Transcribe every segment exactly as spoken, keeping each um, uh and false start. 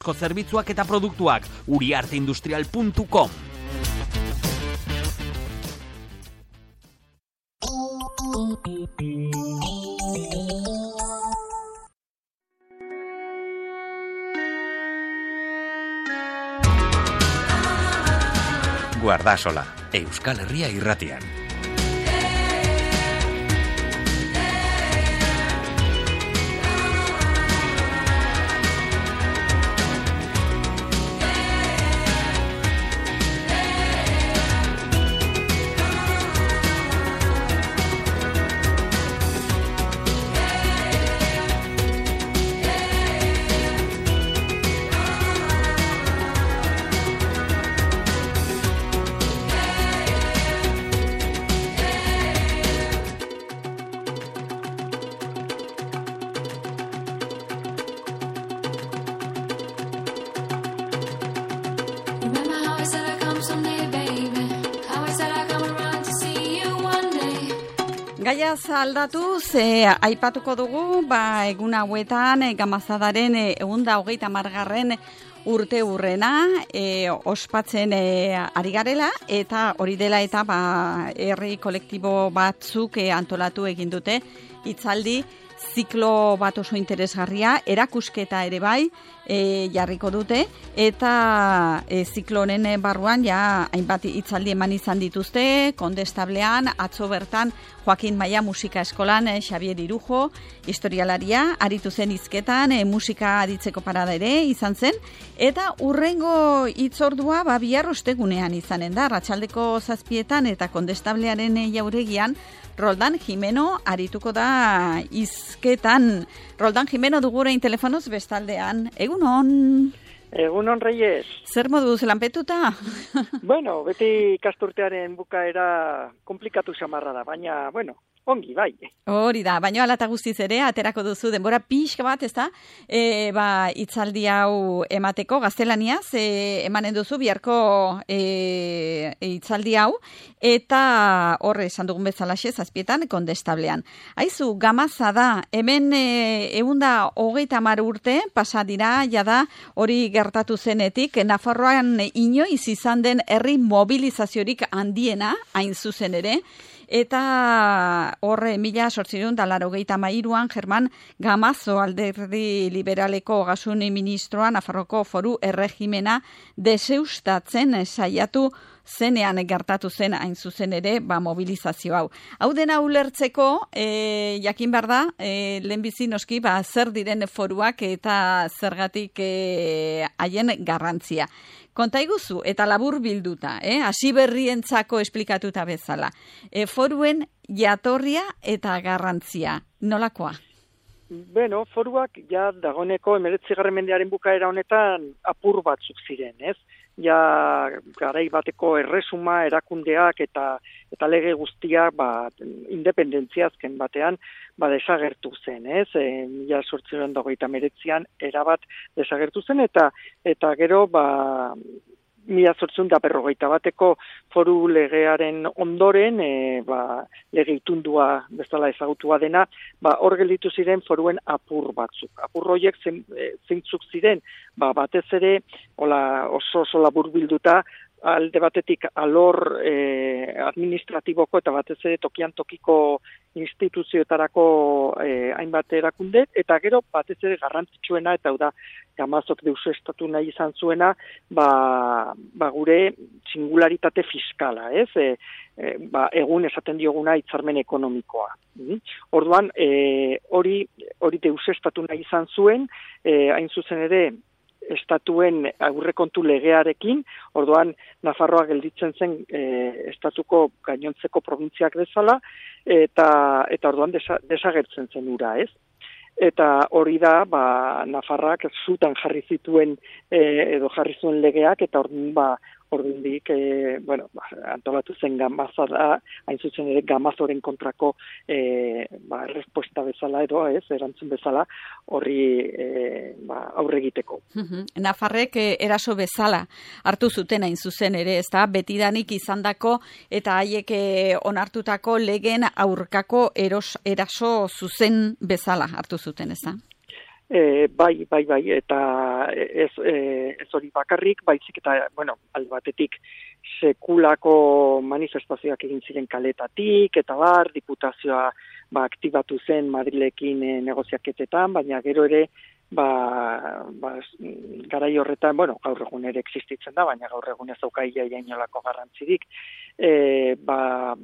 zerbitzuak eta produktuak uriarteindustrial puntu com. Guardasola, Euskal Herria irratian. Gaiaz aldatuz, e, aipatuko dugu, ba, egun hauetan, e, Gamazadaren e, egun da hogeita margarren urte urrena, e, ospatzen e, ari garela, eta hori dela eta ba, herri kolektibo batzuk e, antolatu egin dute, hitzaldi, ziklo bat oso interesgarria, erakusketa ere bai, e, jarriko dute, eta e, ziklo honen barruan ja hainbat hitzaldi eman izan dituzte, Kondestablean, atzo bertan Joakin Maia musika eskolan e, Xabier Irujo, historialaria, aritu zen hizketan, e, musika aditzeko parada ere izan zen, eta urrengo hitzordua ba, bihar ostegunean izanen da, arratsaldeko zazpietan eta Kondestablearen e, jauregian, Roldan Jimeno arituko da hizketan. Roldan Jimeno dugurein telefonoz bestaldean. Egunon. Egunon, Reyes. Zer moduz lanpetuta? Bueno, beti ikasturtearen bukaera komplikatu xamarra da, baina, bueno, ongi, bai. Hori da, baina alata guztiz ere, aterako duzu denbora pixka bat, ez da? E, ba, itzaldi hau emateko, gaztelaniaz, e, emanen duzu biharko e, e, itzaldi hau, eta horre esan dugun bezalaxe, zazpietan, Kondestablean. Aizu, Gamaza da, hemen e, eunda hogeita hamar urte, pasa dira, jada, hori gertatu zenetik, Nafarroan inoiz izan den herri mobilizaziorik handiena, hain zuzen ere, eta horre mila sortzireun da laurogeita hamairuan German Gamazo alderdi liberaleko ogasun ministroa Nafarroko foru erregimena deseustatzen saiatu zenean gertatu zen hain zuzen ere ba, mobilizazio hau. Hau dena ulertzeko, e, jakin behar da, e, lehenbizi noski ba, zer diren foruak eta zergatik haien e, garrantzia. Konta iguzu, eta labur bilduta, eh? Hasi berrientzako esplikatuta bezala. E, foruen jatorria eta garrantzia. Nolakoa? Bueno, foruak ja dagoneko hemeretzigarren mendearen bukaera honetan apur batzuk ziren, ez? Ja garai bateko erresuma erakundeak eta eta lege guztiak ba independentzia azken batean ba desagertu zen, ez? E, mila zortziehun eta hogeita hemeretzian erabat desagertu zen eta eta gero ba mila zortziehun eta berrogeita bateko foru legearen ondoren e, ba, lege itundua bezala ezagutua dena, ba hor gelditu ziren foruen apur batzuk. Apur horiek zein, zeintzuk ziren, ba batez ere hola oso oso labur bilduta alde batetik alor eh, administratiboko eta batez ere tokian tokiko instituzioetarako eh, hainbat erakunde, eta gero batez ere garrantzitsuena, eta hau da Gamazok deusestatu nahi izan zuena, ba, ba gure singularitate fiskala, ez? E, e, ba, egun esaten dioguna hitzarmen ekonomikoa. Mm? Orduan, e, hori hori deusestatu nahi izan zuen, e, hain zuzen ere, estatuen aurrekontu legearekin, orduan Nafarroa gelditzen zen e, estatuko gainontzeko probintziak bezala, eta eta orduan desa, desagertzen zen ura, ez? Eta hori da, ba, Nafarrak zutan jarri zituen e, edo jarri zuen legeak, eta orduan ba, ordundik, e, bueno, ba, antolatu zen Gamaza da, hain zuzen ere Gamazoren kontrako e, ba, respuesta bezala edo, ez, erantzun bezala, horri e, ba, aurre egiteko. Nafarrek e, eraso bezala hartu zuten hain zuzen ere, ez da, betidanik izandako eta haiek e, onartutako legen aurkako eros, eraso zuzen bezala hartu zuten, ez da? E, bai, bai, bai, eta ez, e, ez hori bakarrik, baizik eta, bueno, alde batetik sekulako manifestazioak egin ziren kaletatik, eta bar, diputazioa ba, aktibatu zen Madrilekin e, negoziaketetan, baina gero ere, ba, ba, garai horretan, bueno, gaur egun ere existitzen da, baina gaur egun ez dauka iaia inolako garrantzirik, e, ba,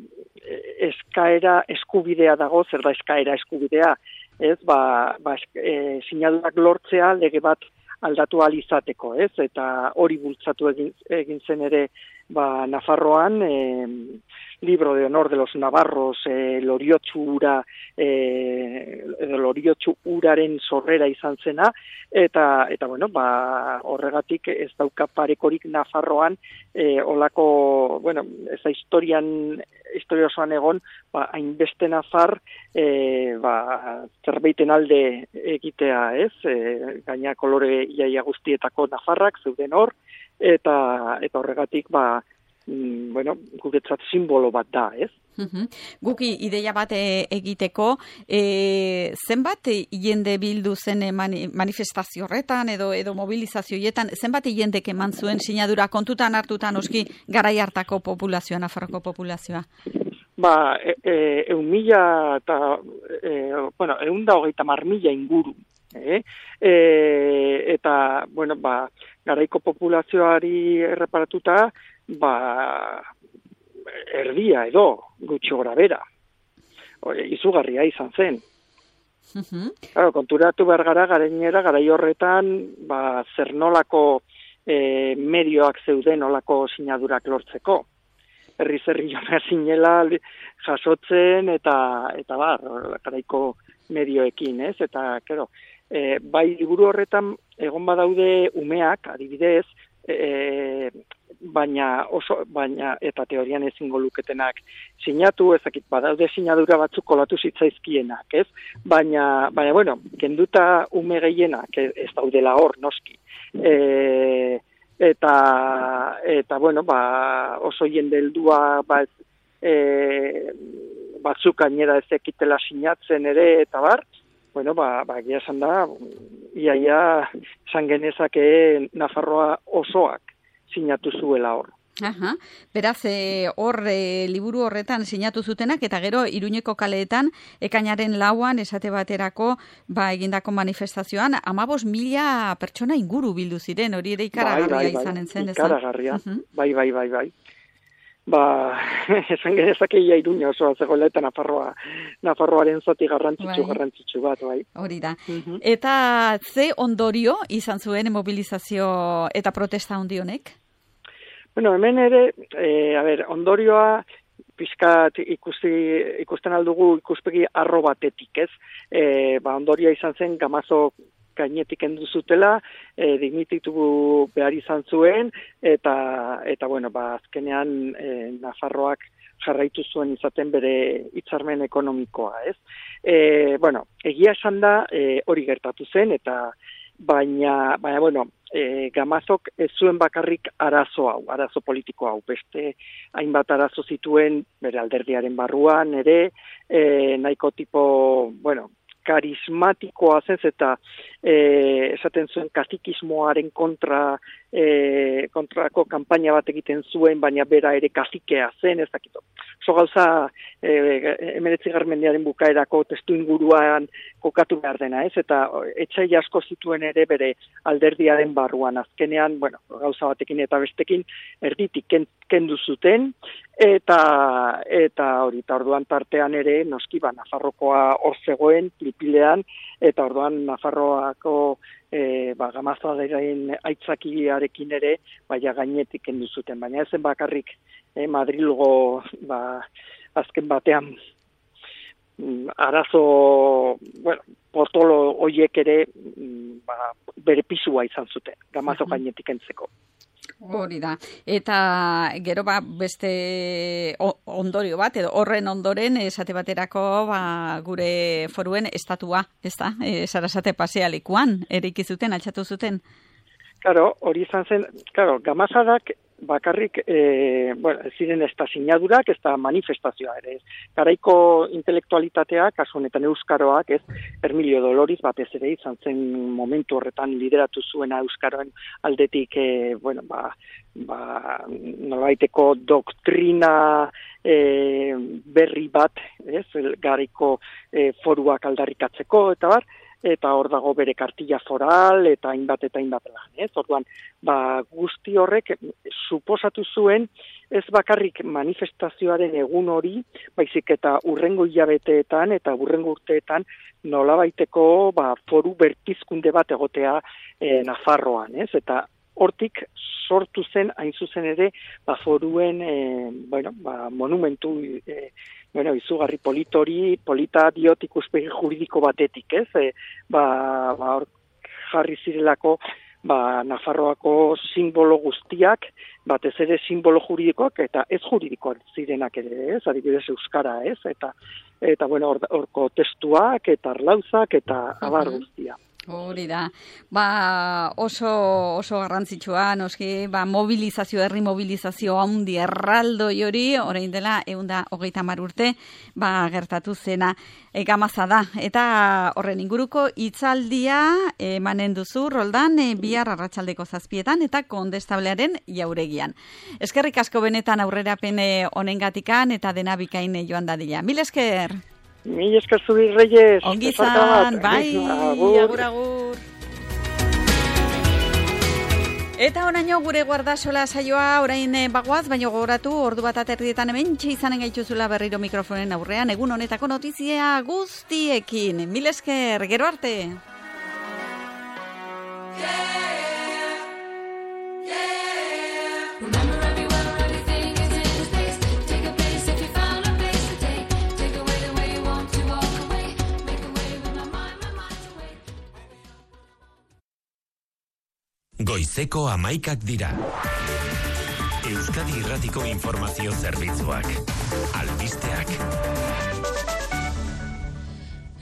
eskaera eskubidea dago, zer da eskaera eskubidea, ez, ba, ba e, sinadurak lortzea lege bat aldatu ahal izateko, ez, eta hori bultzatu egin, egin zen ere, ba, Nafarroan, e, libro de honor de los navarros, e, loriotsu ura, e, loriotsu uraren sorrera izan zena, eta, eta bueno, ba, horregatik ez dauka parekorik Nafarroan, e, olako, bueno, ez da historian, historia osoan egon, ba, hainbeste nafar, e, ba, zerbeiten alde egitea, ez, e, gaina kolore iaia guztietako nafarrak zeuden hor, eta, eta horregatik, ba, mm, bueno, guretzat simbolo bat da, ez? Uhum. Guki ideia bat egiteko, e, zenbat jende bildu zen mani, manifestazio horretan edo edo mobilizazioietan, zenbat jendek eman zuen sinadura kontutan hartutan oski garai hartako populazioa, Nafarroko populazioa? Ba, e, e, eun mila eta, e, bueno, eun da hogeita mar mila inguru, eh? E, eta, bueno, ba, garaiko populazioari erreparatuta, ba, erdia edo, gutxi gora bera. Izugarria izan zen. Uh-huh. Claro, konturatu behar gara, garenera, garai horretan, ba, zer nolako e, medioak zeuden nolako sinadurak lortzeko. Herri zerri joan zinela jasotzen eta, eta bar, garaiko medioekin, ez? Eta, kero, e, bai liburu horretan egon badaude umeak, adibidez, e, baina oso, baina eta teorian ezingo luketenak sinatu, ezakit badaude sinadura batzuk kolatu zitzaizkienak, ez? Baina, baina bueno, kenduta ume gehienak ez daudela hor, noski. E, eta, eta bueno, ba, oso jende heldua ba, e, batzuk gainera ez ekitela sinatzen ere, eta bar, bueno, ba, ba egia esan da, iaia esan genezake Nafarroa osoak sinatu zuela hor. Aha. Beraz, e, hor e, liburu horretan sinatu zutenak, eta gero Iruñeko kaleetan ekainaren lauan esate baterako ba, egindako manifestazioan, amabos mila pertsona inguru bildu ziren, hori ere ikaragarria bai, bai, bai, izanen zen. Ikaragarria, uh-huh. bai, bai, bai, bai. Ba, esan genezake ia Iruña osoa zegoela eta Nafarroa, Nafarroaren zati garrantzitsu, bai. garrantzitsu bat, bai. Hori da. Uh-huh. Eta ze ondorio izan zuen mobilizazio eta protesta handi honek? Bueno, hemen ere, e, a ber, ondorioa pizkat ikusi, ikusten aldugu ikuspegi arro batetik, ez? E, ba, ondorioa izan zen Gamazo gainetik endu zutela, e, dignititu behar izan zuen, eta, eta bueno, ba, azkenean e, Nafarroak jarraitu zuen izaten bere hitzarmen ekonomikoa, ez? E, bueno, egia esan da e, hori gertatu zen, eta baina, baina bueno, e, Gamazok ez zuen bakarrik arazo hau, arazo politiko hau, beste hainbat arazo zituen bere alderdiaren barruan ere, e, nahiko tipo, bueno, karismatikoa zen, eta e, esaten zuen kazikismoaren kontra e, kontrako kanpaina bat egiten zuen, baina bera ere kazikea zen, ez dakito. So gauza e, hemeretzigarren mendearen bukaerako testu inguruan kokatu behar dena, ez? Eta etxai asko zituen ere bere alderdiaren barruan. Azkenean, bueno, gauza batekin eta bestekin erditik kendu zuten, eta eta hori, eta orduan tartean ere, noski ba, Nafarrokoa hor zegoen, pilpilean, eta orduan Nafarroako e, ba, Gamazoa dirain aitzakiarekin ere, baina gainetik kendu zuten, baina ezen bakarrik e, Madrilgo ba, azken batean arazo, bueno, portolo hoiek ere ba, bere pisua izan zuten, Gamazo gainetik kentzeko. Hori da. Eta gero ba, beste ondorio bat, edo horren ondoren esate baterako ba, gure foruen estatua, ez da? E, Sarasate pasealekuan, eraiki zuten, altxatu zuten. Claro, hori izan zen, claro, Gamazadak bakarrik, e, bueno, ez ziren ez da sinadurak, ez da manifestazioa ere, ez. Garaiko intelektualitatea, kasu honetan euskaroak, ez, Hermilio Doloriz batez ere izan zen momentu horretan lideratu zuena euskaroen aldetik, e, bueno, ba, ba, nolabaiteko doktrina e, berri bat, ez, garaiko e, foruak aldarrikatzeko, eta bar, eta hor dago bere kartilla foral, eta hainbat eta hainbat lan, ez? Orduan, ba, guzti horrek suposatu zuen, ez bakarrik manifestazioaren egun hori, baizik eta urrengo hilabeteetan eta urrengo urteetan nolabaiteko ba, foru berpizkunde bat egotea e, Nafarroan, ez? Eta hortik sortu zen, hain zuzen ere, ba, foruen, e, bueno, ba, monumentu, e, bueno, izugarri politori, polita diot ikuspegi juridiko batetik, ez? E, ba, ba, hor jarri zirelako, ba, Nafarroako simbolo guztiak, batez ere simbolo juridikoak, eta ez juridikoak zirenak ere, ez? Adibidez euskara, ez? Eta, eta bueno, horko testuak, eta arlauzak, eta abar guztia. Hori da, ba, oso, oso garrantzitsua, noski, ba, mobilizazio, herri mobilizazio handi erraldoi hori, orain dela, eunda hogeita hamar urte, ba, gertatu zena, e, gamaza da. Eta horren inguruko hitzaldia emanen duzu, Roldan, e, bihar arratsaldeko zazpietan, eta Kondestablearen jauregian. Eskerrik asko benetan aurrerapen honengatikan, eta dena bikain joan dadila. Mil esker! Mil esker zuri, Reyes. Ongi zan, bai, agur, agur. Eta onaino gure guardasola saioa orain bagoaz, baina gogoratu ordu bat aterrietan hemen izanen gaituzula berriro mikrofonen aurrean, egun honetako notizia guztiekin. Mil esker, gero arte. Goizeko hamaikak dira. Euskadi Irratiko Informazio Zerbitzuak. Albisteak.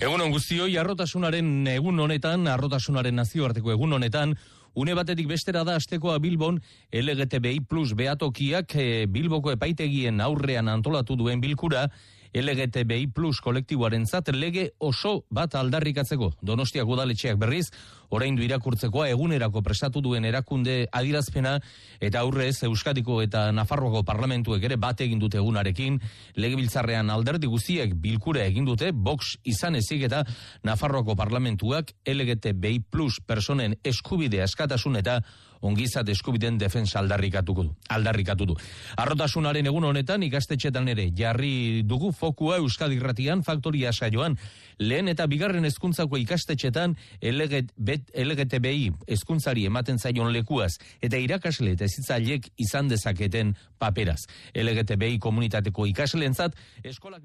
Egun on guztioi, arrotasunaren egun honetan, arrotasunaren nazioarteko egun honetan, une batetik bestera da astekoa Bilbon L G T B I plus behatokiak e, Bilboko epaitegien aurrean antolatu duen bilkura, L G T B I plus kolektiboaren zat lege oso bat aldarrikatzeko. Donostiak udaletxeak berriz, oraindu irakurtzekoa egunerako prestatu duen erakunde adirazpena, eta aurrez Euskadiko eta Nafarroako parlamentuek ere bat egin dute egunarekin, legebiltzarrean alderdi guztiek bilkura egin dute, Vox izan ezik eta Nafarroako parlamentuak L G T B I plus personen eskubide askatasun eta ongizat eskubideen defensa aldarrikatuko du. Aldarrikatu du. Arrotasunaren egun honetan ikastetxetan ere jarri dugu fokua Euskadi Irratian faktoria saioan. Lehen eta bigarren hezkuntzako ikastetxetan L G T B I hezkuntzari ematen zaion lekuaz eta irakasle eta hezitzailek izan dezaketen paperaz. L G T B I komunitateko ikasleentzat eskolak